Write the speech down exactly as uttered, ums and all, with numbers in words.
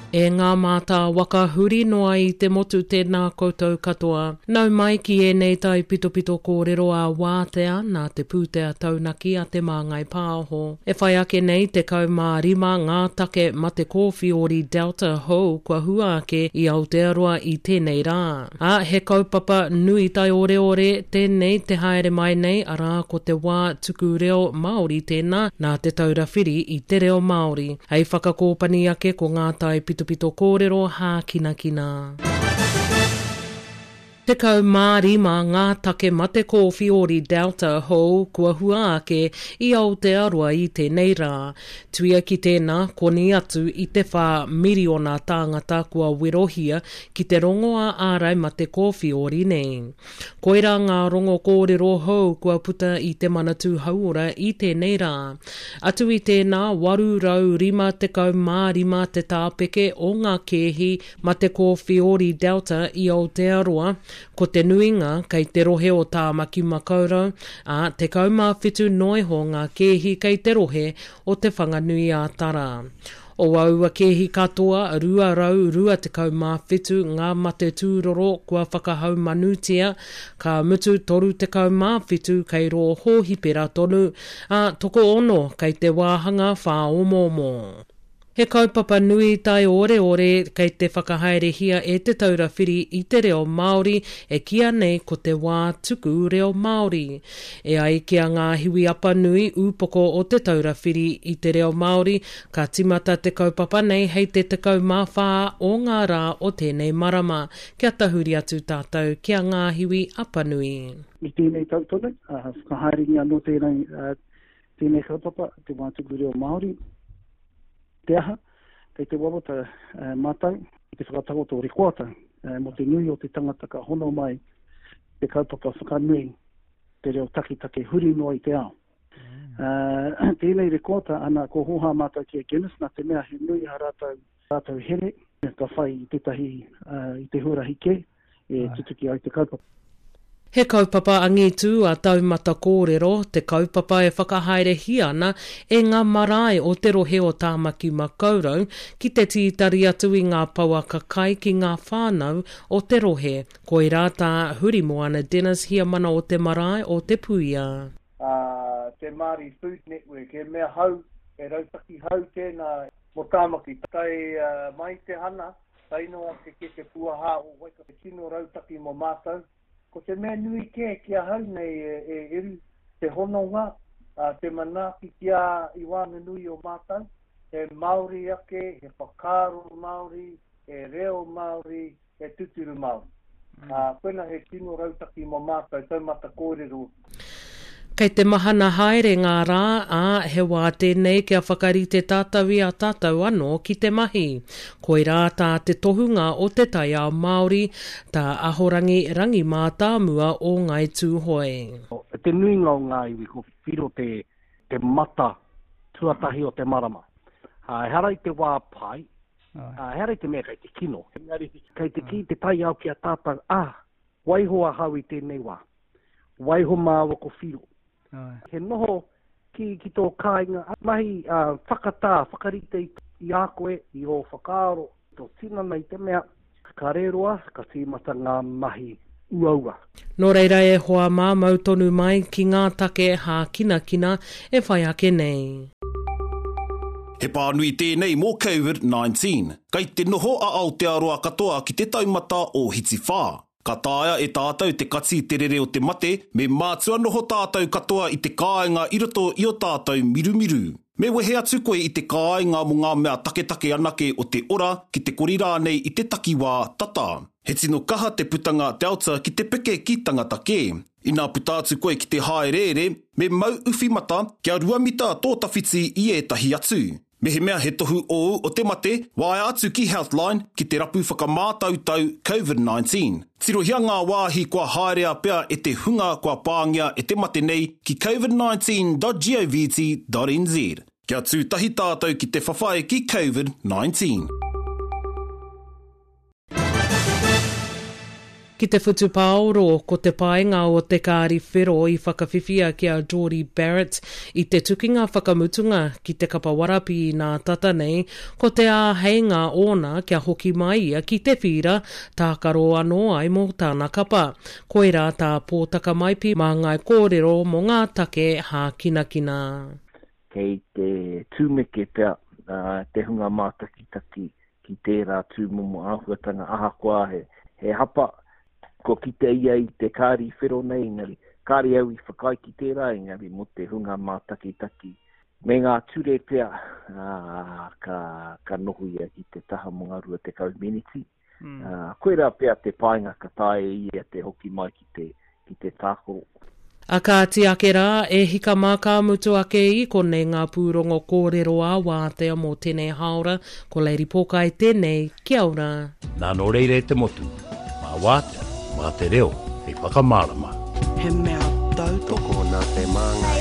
E ngā mātā waka huri noa i te motu tēnā koutou katoa. Nau mai ki ēnei tai pitopito kōrero a wātea nā te pūtea taunaki a Te Māngai Pāho. E whai ake nei te mā rima ngā take mate kōwhiori Delta hou kua hua ake i Aotearoa i tēnei rā. A, he kaupapa nui tai oreore tēnei te haere mai nei arā ko te wā tuku reo Māori tēnā nā Te Taura Whiri i te reo Māori. Hei whakakōpani ake ko ngā tai pitopito kōrero hākinakina. Tekau mā rima ngā take mate kōwhiori Delta hou kua hua ake i Aotearoa i tēnei rā. Tuia ki tēnā, koni atu i te whā miriona tāngata kua werohia ki te rongoa ārai mate kōwhiori nei. Koirā ngā rongo kōrero hou kua puta i te Manatū Hauora i tēnei rā. Atu i tēnā, waru rau rima tekau mā rima te tāpeke o ngā kēhi mate kōwhiori Delta i Aotearoa, ko te nuinga kei te rohe o Tāmaki Makaurau, ā, tekau mā whitu noiho ngā kēhi kei te rohe o Te Whanganui a Tara. O aua kēhi katoa, rua rau rua tekau mā whitu ngā mate tūroro kua whakahaumanutia, ka mutu toru tekau mā whitu kei rō hōhipera tonu, ā, tokoono kei te wāhanga whāomoomo. He kaupapa nui tai oreore kei te whakahaerehia e Te Taura Whiri i te reo Māori e kīa nei ko te wā tuku reo Māori. E ai ki a Ngāhiwi Apanui, ūpoko o Te Taura Whiri i te reo Māori, ka timata te kaupapa nei hei te tekau mā whā o ngā rā o tēnei marama. Kia tahuri atu tātou ki a Ngāhiwi Apanui. I tēnei tau tonu, whakahaerengia anō tēnei, tēnei kaupapa, te wā tuku reo Māori. Te aha, kei te wawata uh, mātou, i te whakatakoto rekoata uh, mō te nui o te tangata ka hono mai te kaupapa whakanui te reo taketake huri noa i te ao. Uh, tēnei rekoata ana ko hoha mātou ki a Guinness nā te mea he nui a rātou, rātou here ka whai i tētahi uh, i te huarahi kē e tutuki ai te kaupapa. He kaupapa angitu a Taumata Kōrero, te kaupapa e whakahaerehia ana e ngā marae o te rohe o Tāmaki Makaurau ki te tītari atu i ngā pouaka kai ki ngā whānau o te rohe. Koirā tā Hurimoana Dennis Hiamana o te marae o Te Puia. Uh, te Māori Food Network, he mea hau, he rautaki hau tēnā mō Tāmaki. Tai uh, mai te hana, tae noa ake ki te puaha o Waikato, tino rautaki mō mātou. Ko te mea nui kē ki ahau nei e, e Eru, te hononga, uh, te manaaki ki a i wānganui o mātou, he Māori ake, he whakaaro Māori, he reo Māori, he tuturu Māori. Mm. Uh, koina he tino rautaki mō mātou, taumata kōrero. Kei te mahana haere ngā rā, ā, he wā tēnei kia whakarite tātou i a tātou anō ki te mahi. Koirā tā te tohunga o te taiao Māori, tā Ahorangi Rangi Mātāmua o Ngāi Tūhoe. Te nuinga o ngā iwi ko whiro te, te mata tuatahi o te marama. Uh, ehara i te wā pai, uh, ehara i te mea kei te kino. Engari, kei te kī te taiao ki a tātou, ah, waiho ahau i tēnei wā. Waiho māua ko whiro. He noho ki, ki tō kāinga, mahi uh, whakatā, whakarite i a koe, i ō whakaaro, tō tinana i te mea, ka reroa, ka tīmata ngā mahi uaua. Nō reira e hoa mā mau tonu mai ki ngā take hākinakina e whai ake nei. He pānui tēnei mō COVID nineteen. Kei te noho a Aotearoa katoa ki te taumata o Hitiwhā. Ka taea e tātou te kati te rere o te mate, me mātua noho tātou katoa i te kāinga i roto i o tātou mirumiru. Me wehe atu koe i te kāinga mō ngā mea taketake anake o te ora ki te kori rānei i te takiwā tata. He tino kaha te putanga Delta ki te peke ki tangata kē. Inā puta atu koe ki te haereere, me mau uwhi mata kia rua mita tō tawhiti i ētahi atu. Mehemea he tohu ōu o te mate, waea atu ki Healthline ki te rapu whakamātautau COVID nineteen. Tirohia ngā wāhi kua haerea pea e te hunga kua pāngia e te mate nei ki covid nineteen dot govt dot n z. Kia tū tahi tātou ki te whawhai ki COVID nineteen. Ki te whutupaoro, ko te painga o te kāri whero i whakawhiwhia ki a Jordie Barrett i te tukinga whakamutunga ki te kapa warapi nā tata nei, ko te āheinga ōna kia hoki mai ia ki te whīra, tākaro anō ai mō tāna kapa. Koirā tā Pōtaka Maipi māngai kōrero mō ngā take hākinakina. Kei te tūmeke pea te hunga mātakitaki ki tērā tūmomo āhuatanga ahakoa he, he hapa, ko kite ia i te kāri whero nei, engari kāre au i whakaae ki tērā, engari mō te hunga mātakitaki. Me ngā ture pea, ā, ka, ka noho ia ki te taha mō ngā rua tekau meneti. Mm. Ā, koirā pea te painga ka taea e ia te hoki mai ki te, ki te tākaro. A kāti ake rā, e hika mā ka mutu ake i konei ngā pūrongo kōrero ā-wātea mō tēnei hāora, ko Lady Pōkai tēnei, kia ora. Nā nō reira e te motu, mā wātea, mā te reo, hei whakamārama. He mea tautoko nā te Māngai.